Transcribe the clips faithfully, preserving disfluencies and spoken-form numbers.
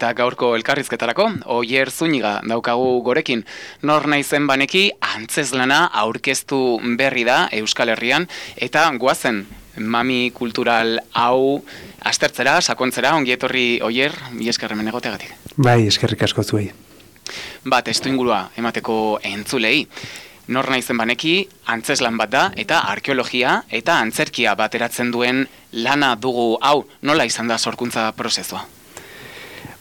eta gaurko elkarrizketarako, Oier Zuniga daukagu gorekin. Nor naizen baneki antzeslana aurkeztu berri da Euskal Herrian, eta goazen mami kultural hau aztertzera, sakontzera, ongi etorri Oier, bi esker hemen egoteagatik. Bai, eskerrik asko zuei. Bat, testuingurua emateko entzulei. Nor naizen baneki antzeslan bat da eta arkeologia eta antzerkia bateratzen duen lana dugu hau. Nola izan da sorkuntza prozesua?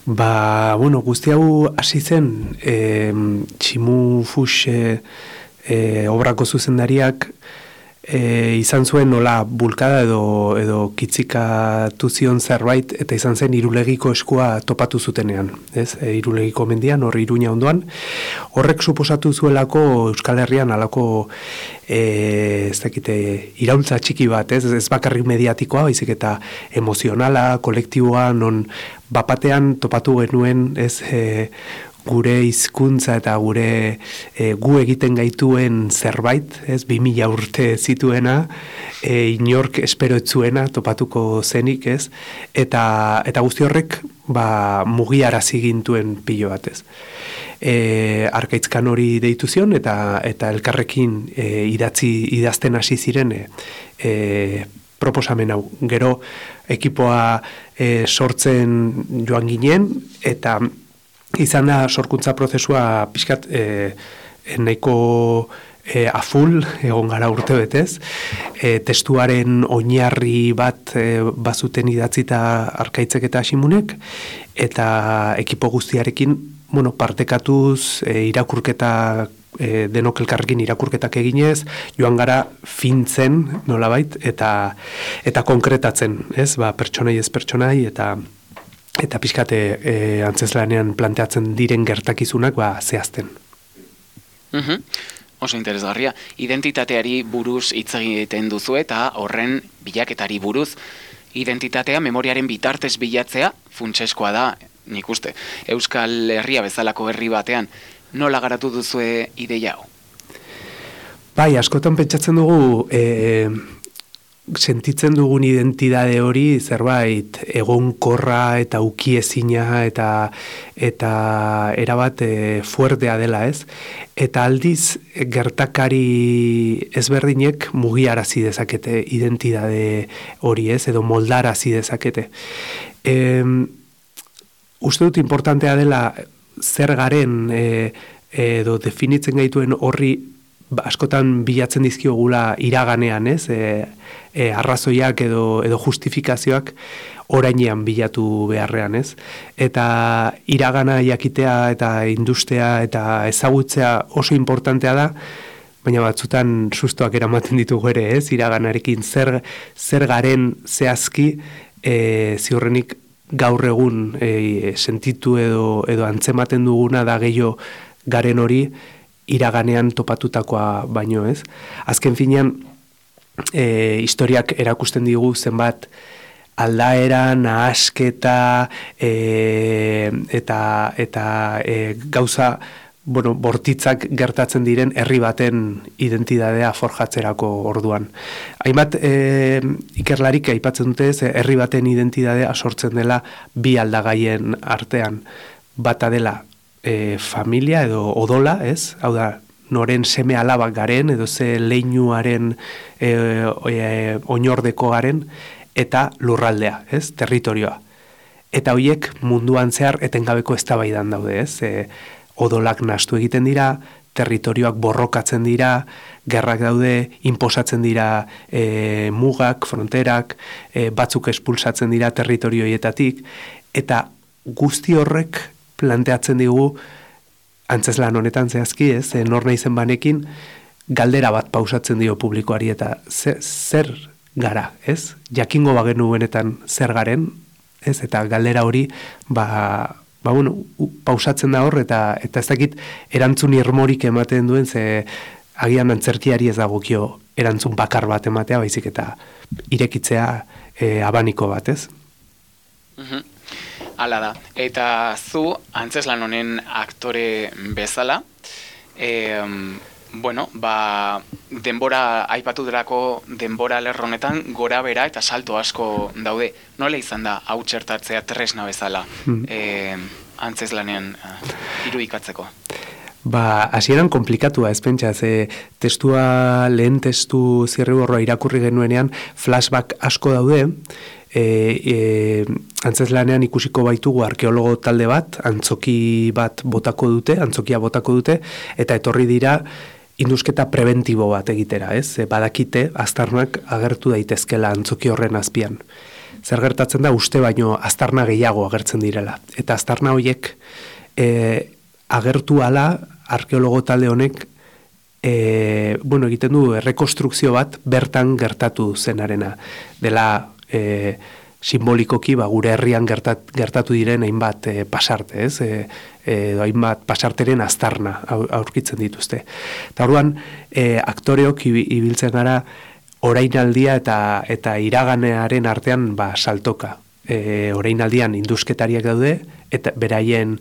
Ba, bueno, guzti hau hasi zen e, Tximu Fuchs e, e, obrako zuzendariak e, izan zuen nola bulkada edo, edo kitzikatu zion zerbait, eta izan zen Irulegiko eskua topatu zutenean, ez? E, Irulegiko mendian, hor Iruña ondoan. Horrek suposatu zuelako Euskal Herrian alako e, ez dakite, iraultza txiki bat, ez? Ez bakarrik mediatikoa, baizik eta emozionala, kolektiboa, non bapatean topatu genuen, ez, e, gure hizkuntza eta gure e, gu egiten gaituen zerbait, ez, bi mila urte zituena, e, inork espero etzuena topatuko zenik, ez, eta, eta guzti horrek ba, mugiarazi gintuen pilo bat, ez. E, Arkaitzkan hori deitu zion, eta, eta elkarrekin e, idatzi, idazten hasi ziren e, e, proposamen hau. Gero ekipoa e, sortzen joan ginen, eta izan da sorkuntza prozesua pixkat e, nahiko e, aful, egon gara urte betez. E, testuaren oinarri bat e, bazuten idatzita Arkaitzek eta Simunek, eta ekipo guztiarekin bueno, partekatuz e, irakurketa E, denok elkarrekin irakurketak eginez, joan gara fintzen nolabait, eta eta konkretatzen, ez? Ba, pertsonai ez pertsonai, eta eta pixkate e, antzeslanean planteatzen diren gertakizunak ba, zehazten. Uh-huh. Oso interesgarria. Identitateari buruz hitz egiten duzu eta horren bilaketari buruz. Identitatea memoriaren bitartez bilatzea funtseskoa da, nik uste. Euskal Herria bezalako herri batean, nola garatu duzue ideia hau? Bai, askotan pentsatzen dugu e, sentitzen dugun identitate hori zerbait egonkorra eta ukiezina eta eta erabat e, fuertea dela, ez? Eta aldiz gertakari ezberdinek mugiarazi dezakete identitate hori, ez? Edo moldarazi dezakete. E, uste dut importantea dela zer garen e, edo definitzen gaituen horri askotan bilatzen dizkiogula iraganean, ez? E, e, arrazoiak edo, edo justifikazioak orainean bilatu beharrean, ez? Eta iragana jakitea eta industea eta ezagutzea oso importantea da, baina batzutan sustoak eramaten ditugu ere, ez? Iraganarekin zer, zer garen zehazki e, ziurrenik gaur egun e, sentitu edo, edo antzematen duguna da gehiago garen hori iraganean topatutakoa baino, ez? Azken finean, e, historiak erakusten digu zenbat aldaera, nahasketa e, eta, eta e, gauza bueno, bortitzak gertatzen diren herri baten identitatea forjatzerako orduan. Hainbat e, ikerlarik aipatzen dute ez, herri baten identitatea sortzen dela bi aldagaien artean. Bata dela e, familia edo odola, ez? Hau da, noren seme alabak garen edo ze leinuaren e, e, oinordeko garen, eta lurraldea, ez? Territorioa. Eta horiek munduan zehar etengabeko eztabaidan daude, ez? E, odolak nahastu egiten dira, territorioak borrokatzen dira, gerrak daude, inposatzen dira e, mugak, fronterak, e, batzuk espulsatzen dira territorioietatik, eta guzti horrek planteatzen digu, antzeslan honetan zehazki, ez, e, nor naizen banekin, galdera bat pausatzen dio publikoari, eta zer, zer gara, ez? Jakingo bagenu benetan zer garen, ez? Eta galdera hori, ba, ba bueno, pausatzen da hor, eta eta ez dakit erantzun irmorik ematen duen, ze agian antzerkiari ez dagokio erantzun bakar bat ematea, baizik eta irekitzea e, abaniko bat, ez? Uh-huh. Hala da. Eta zu, antzeslan honen aktore bezala, e, Bueno, ba, denbora, aipatu delako denbora lerronetan gora bera eta salto asko daude. Nola izan da hau txertatzea tresna bezala hmm. e, antzeslanean irudikatzeko? Ba, hasieran komplikatua, ez pentsa, ze testua, lehen testu zirriborroa irakurri genuenean flashback asko daude, e, e, antzeslanean ikusiko baitugu arkeologo talde bat, antzoki bat botako dute, antzokia botako dute, eta etorri dira indusketa preventibo bat egitera, ez? E, badakite, aztarnak agertu daitezkela antzoki horren azpian. Zer gertatzen da, uste baino aztarna gehiago agertzen direla. Eta aztarna horiek e, agertu ala, arkeologo talde honek, e, bueno, egiten du, rekonstrukzio bat bertan gertatu zenarena. Dela, e, simbolikoki, ba, gure herrian gertat, gertatu diren hainbat e, pasarte, ez? E, e, hainbat pasarteren aztarna aurkitzen dituzte. Eta orduan, e, aktoreok ibiltzen gara orainaldia eta eta iraganearen artean ba, saltoka. E, orainaldian indusketariak daude, eta beraien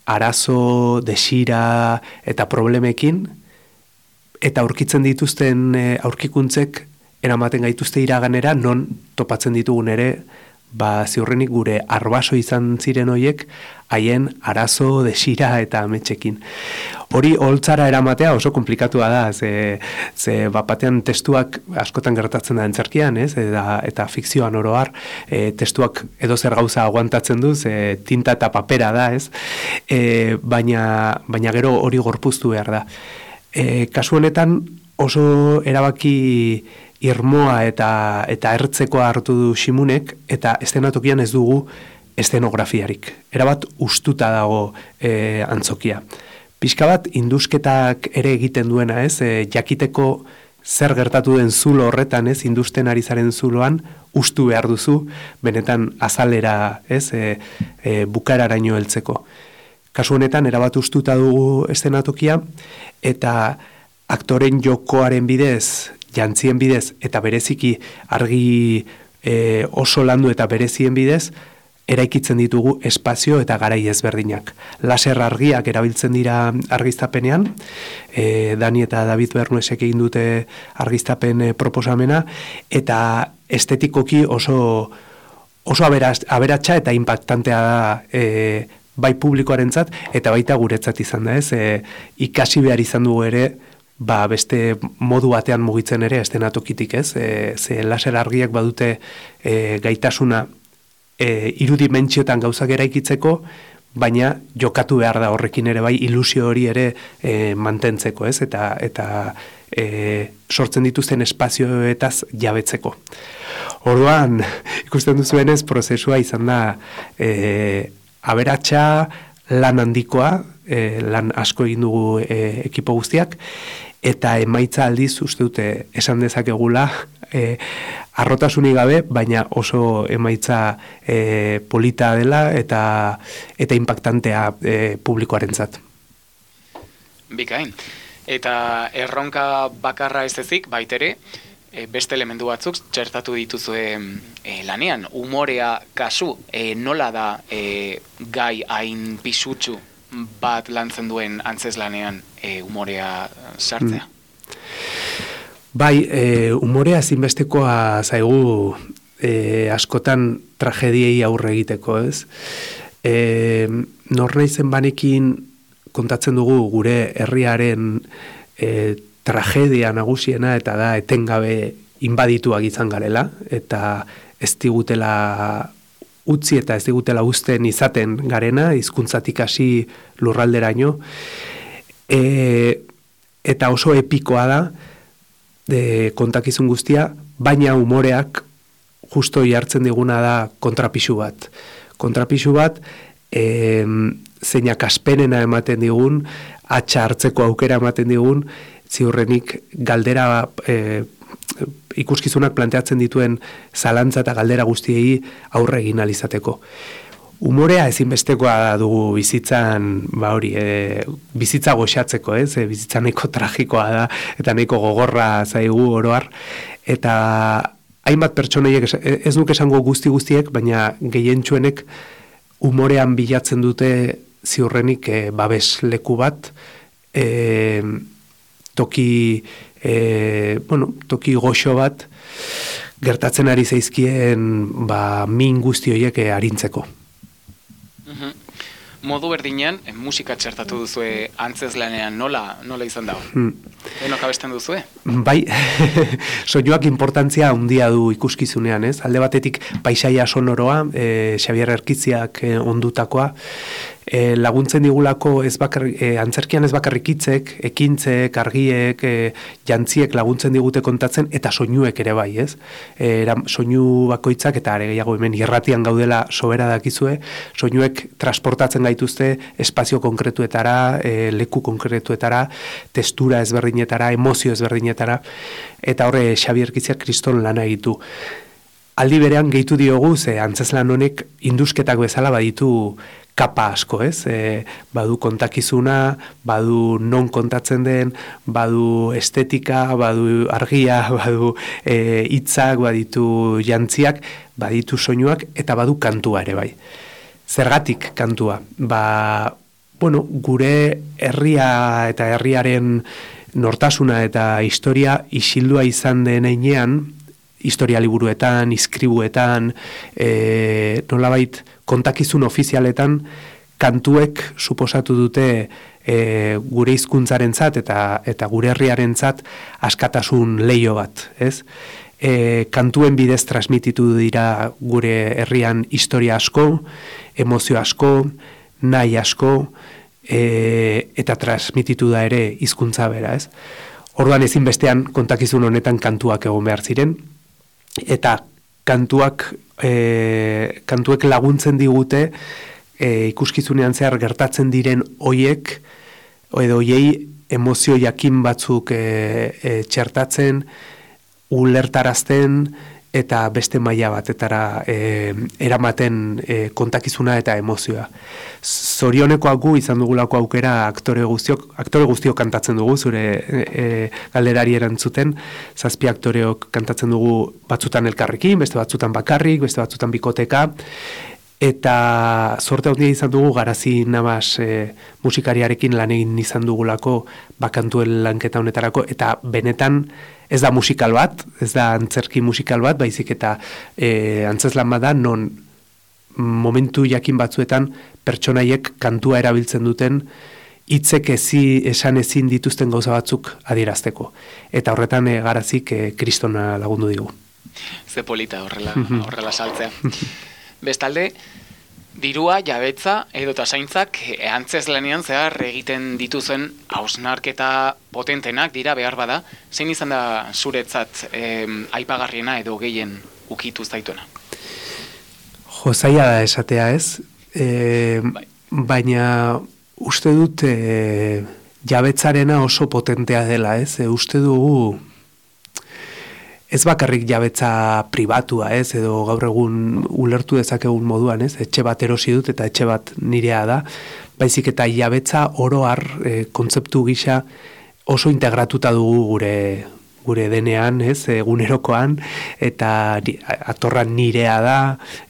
arazo, desira eta problemekin, eta aurkitzen dituzten e, aurkikuntzek eramaten gaituzte iraganera, non topatzen ditugun ere, ba, ziurrenik gure arbaso izan ziren hoiek, haien arazo, desira eta ametxekin. Hori holtzara eramatea oso komplikatua da, ze, ze bapatean testuak askotan gertatzen da entzerkian, ez? Eta, eta fikzioan oroar, e, testuak edozer gauza aguantatzen du, ze tinta eta papera da, ez? E, baina, baina gero hori gorpuztu behar da. E, kasu honetan oso erabaki irmoa eta eta ertzekoa hartu du Ximunek, eta eszenatokian ez dugu eszenografiarik. Erabat ustuta dago e, antzokia. Pixka bat indusketak ere egiten duena, ez, e, jakiteko zer gertatu den zulo horretan, ez, industen ari zaren zuloan, ustu behar duzu, benetan azalera, ez, e, e, bukararaino heltzeko. Kasu honetan, erabat ustuta dugu eszenatokia, eta aktoren jokoaren bidez, jantzien bidez, eta bereziki argi e, oso landu eta berezien bidez, eraikitzen ditugu espazio eta garai ezberdinak. Laser argiak erabiltzen dira argiztapenean, e, Dani eta David Bernuesek egin dute argiztapen e, proposamena, eta estetikoki oso, oso aberatsa eta impactantea da e, bai publikoarentzat eta baita guretzat izan da, ez? E, ikasi behar izan dugu ere, ba, beste modu batean mugitzen ere eszenatokitik, ez? E, ze laser argiak badute e, gaitasuna e, irudimentsiotan gauzak eraikitzeko, baina jokatu behar da horrekin ere bai ilusio hori ere e, mantentzeko, ez? Eta, eta e, sortzen dituzten espazioetaz jabetzeko. Orduan, ikusten duzuenez, prozesua izan da e, aberatsa, lan handikoa, e, lan asko egin dugu e, ekipo guztiak, eta emaitza aldiz uste dute esan dezakegula e, arrotasunik gabe, baina oso emaitza e, polita dela eta eta impactantea e, publikoarentzat. Bikain. Eta erronka bakarra ez ezik, baitere, e, beste elementu batzuk txertatu dituzue e, lanean. Umorea kasu, e, nola da e, gai hain pisutsu bat lantzen duen antzeslanean e, umorea sartzea? Mm. Bai, e, umorea ezinbestekoa zaigu e, askotan tragediei aurre egiteko, ez? E, nor naizen banekin kontatzen dugu gure herriaren e, tragedia nagusiena, eta da etengabe inbadituak izan garela, eta ez digutela utzi eta ez digutela uzten izaten garena, hizkuntzatik hasi lurralderaino, e, eta oso epikoa da de kontakizun guztia, baina umoreak justo jartzen diguna da kontrapisu bat. Kontrapisu bat, e, zeinak aspenena ematen digun, atxa hartzeko aukera ematen digun, ziurrenik galdera e, ikuskizunak planteatzen dituen zalantza eta galdera guztiei aurre egin alizateko. Umorea ezinbestekoa dugu bizitzan, ba hori, e, bizitza goxatzeko, ez? E, bizitza nahiko tragikoa da, eta nahiko gogorra zaigu oroar, eta hainbat pertsoneiek, ez nuke esango guzti guztiek, baina gehientsuenek umorean bilatzen dute ziurrenik e, babes leku bat, e, toki, e, bueno, toki goxo bat gertatzen ari zaizkien ba, min guzti horiek arintzeko. Mhm. Modu berdinean, musika txertatu duzue antzeslanean, nola, nola izan dago? Hmm. Denok abesten duzue? Bai, soinuak importantzia handia du ikuskizunean, ez? Alde batetik paisaia sonoroa, e, Xabier Erkiziak e, ondutakoa, e, laguntzen digulako ez bakar, e, antzerkian ez bakarrik hitzek, ekintzek, argiek, e, jantziek laguntzen digute kontatzen, eta soinuek ere bai, ez? E, soinu bakoitzak, eta are gehiago hemen irratian gaudela sobera dakizue, soinuek transportatzen gaituzte espazio konkretuetara, e, leku konkretuetara, testura ezberdinetara, emozio ezberdinetara, eta horre Xabier Erkiziak kriston lana egitu. Aldi berean gehitu diogu, ze antzeslan honek indusketak bezala baditu kapa asko, ez? E, badu kontakizuna, badu non kontatzen den, badu estetika, badu argia, badu e, hitzak, baditu jantziak, baditu soinuak, eta badu kantua ere bai. Zergatik kantua? Ba, bueno, gure herria eta herriaren nortasuna eta historia isildua izan den heinean, historia liburuetan, iskribuetan, e, nolabait kontakizun ofizialetan, kantuek suposatu dute e, gure hizkuntzarentzat eta eta gure herriarentzat askatasun leio bat, ez? E, kantuen bidez transmititu dira gure herrian historia asko, emozio asko, nahi asko, e, eta transmititu da ere hizkuntza bera, ez? Orduan ezinbestean kontakizun honetan kantuak egon behar ziren, eta kantuak e, kantuek laguntzen digute e, ikuskizunean zehar gertatzen diren hoiek edo hoiei emozio jakin batzuk e, e, txertatzen, ulertarazten eta beste maila batetara e, eramaten e, kontakizuna eta emozioa. Zorionekoak gu izan dugulako aukera aktore guztiok, aktore guztiok kantatzen dugu, zure e, galderari erantzuten, zazpi aktoreok kantatzen dugu batzutan elkarrekin, beste batzutan bakarrik, beste batzutan bikoteka, eta sorte handia izan dugu Garazi Navas e, musikariarekin lan egin izan dugulako bakantuen lanketa honetarako, eta benetan ez da musikal bat, ez da antzerki musikal bat, baizik eta e, antzeslan bada non momentu jakin batzuetan pertsonaiek kantua erabiltzen duten hitzek ezi esan ezin dituzten gauza batzuk adierazteko. Eta horretan e, Garazik e, kristona lagundu digu. Ze polita horrela, horrela saltzea. Bestalde, dirua, jabetza edo tasaintzak antzeslanean zehar egiten dituzen hausnarketa potentenak dira behar bada, zein izan da zuretzat eh, aipagarriena edo gehien ukitu zaituena? Jo, zaila da esatea ez, e, bai. Baina uste dut e, jabetzarena oso potentea dela ez, e, uste dugu ez bakarrik jabetza pribatua, ez, edo gaur egun ulertu dezakegun moduan, ez, etxe bat erosi dut eta etxe bat nirea da, baizik eta jabetza oro har e, kontzeptu gisa oso integratuta dugu gure gure denean, ez, egunerokoan, eta atorra nirea da,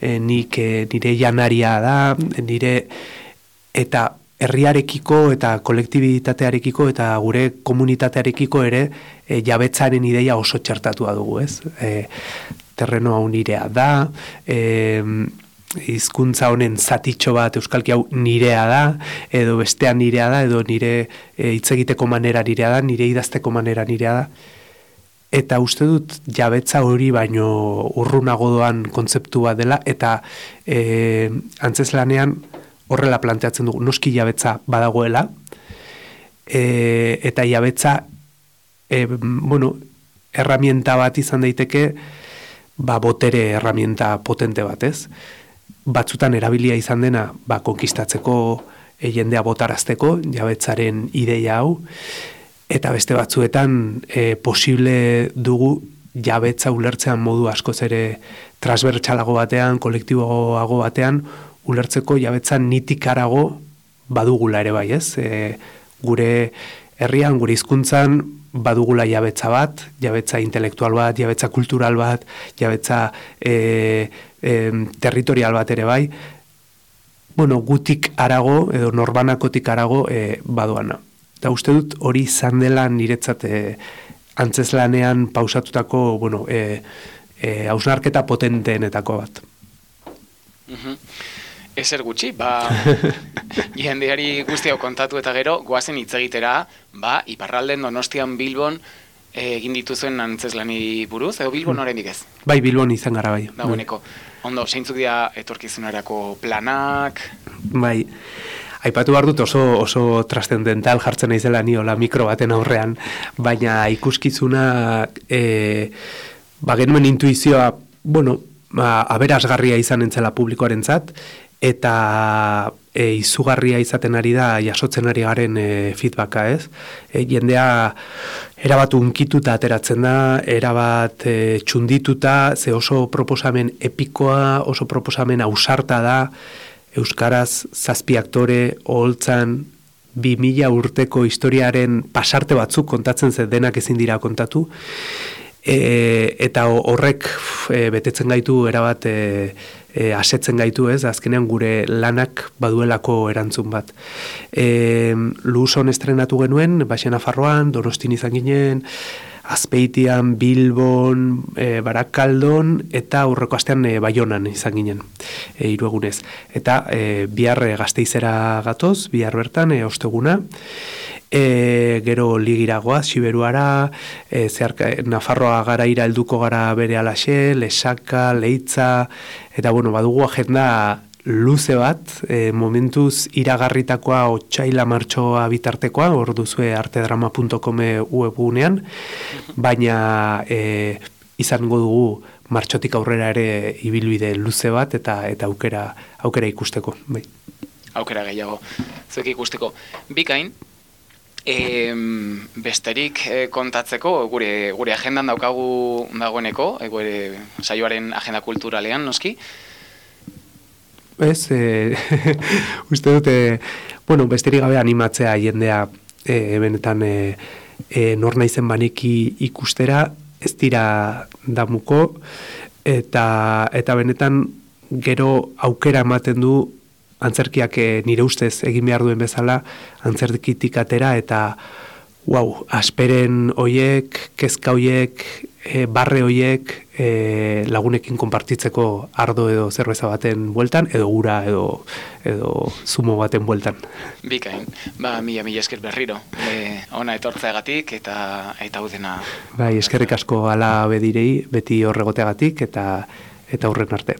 e, nik e, nire janaria da, nire eta herriarekiko eta kolektibitatearekiko eta gure komunitatearekiko ere e, jabetzaren ideia oso txertatua dugu, ez? E, terreno hau nirea da, e, hizkuntza honen zatitxo bat euskalki hau nirea da, edo bestean nirea da, edo nire e, hitz egiteko manera nirea da, nire idazteko manera nirea da. Eta uste dut jabetza hori baino urrunago doan kontzeptu bat dela, eta e, antzeslanean horrela planteatzen dugu, noski jabetza badagoela, e, eta jabetza, e, bueno, erramienta bat izan daiteke, ba, botere erramienta potente bat, ez? Batzutan erabilia izan dena, ba, konkistatzeko, e, jendea botarazteko, jabetzaren ideia hau, eta beste batzuetan e, posible dugu jabetza ulertzean modu askoz ere transbertsalago batean, kolektiboago batean, ulertzeko jabetza nitik harago badugula ere bai, ez? E, gure herrian, gure hizkuntzan badugula jabetza bat, jabetza intelektual bat, jabetza kultural bat, jabetza e, e, territorial bat ere bai, bueno, gutik harago, edo norbanakotik harago e, badoana. eta uste dut hori izan dela niretzat e, antzeslanean pausatutako, bueno, e, e, hausnarketa potenteenetako bat. Mhm. Ezer gutxi, ba, jendeari guzti hau kontatu eta gero, goazen hitz egitera, ba, iparralden Donostian Bilbon egin dituzuen antzeslani buruz, edo Bilbon oraindik ez? Bai, Bilbon izan gara bai. Dagoeneko. Ondo, zeintzuk dira etorkizunerako planak? Bai, aipatu behar dut oso, oso trascendental jartzen naizela ni hola mikro baten aurrean, baina ikuskizuna e, ba, genuen intuizioa, bueno, ba, aberasgarria izan entzela publikoarentzat, eta e, izugarria izaten ari da jasotzen ari garen e, feedbacka, ez? E, jendea erabat unkituta ateratzen da, erabat e, txundituta, ze oso proposamen epikoa, oso proposamen ausarta da, euskaraz zazpi aktore, oholtzan, bi mila urteko historiaren pasarte batzuk kontatzen ze denak ezin dira kontatu, e, eta horrek e, betetzen gaitu erabat e, e, asetzen gaitu, ez, azkenean gure lanak baduelako erantzun bat. E, Luson estrenatu genuen, Baixena Nafarroan, Donostin izan ginen, Azpeitian, Bilbon, e, Barakaldon, eta aurreko astean e, Baionan izan ginen, e, hiru egunez. Eta e, bihar e, Gasteizera gatoz, bihar bertan, e, osteguna, e, gero ligiragoa, Siberuara, e, zeharka, Nafarroa garaira helduko gara bere alaxe, Lesaka, Leitza, eta bueno, badugu agenda luze bat, e, momentuz iragarritakoa otsaila martxoa bitartekoa, hor duzue artedrama puntu com webgunean, baina e, izango dugu martxotik aurrera ere ibilbide luze bat eta eta aukera aukera ikusteko, bai. Aukera gehiago, zuek ikusteko. Bikain, e, besterik e, kontatzeko, gure, gure agendan daukagu dagoeneko, e, gure saioaren agenda kulturalean, noski, Ez, e, uste dute, bueno, besterik gabe animatzea jendea e, benetan e, e, nor naizen baneki ikustera, ez dira damuko, eta, eta benetan gero aukera ematen du antzerkiak e, nire ustez egin behar duen bezala, antzerkitik atera, eta wow, asperen hoiek, kezka hoiek, e, barre hoiek e, lagunekin konpartitzeko ardo edo zerbeza baten bueltan, edo gura edo, edo zumo baten bueltan. Bikain, ba, mila mila esker berriro, e, ona etortzeagatik eta eta udena. Bai, eskerrik asko ala bedirei, beti horregoteagatik eta eta aurren arte.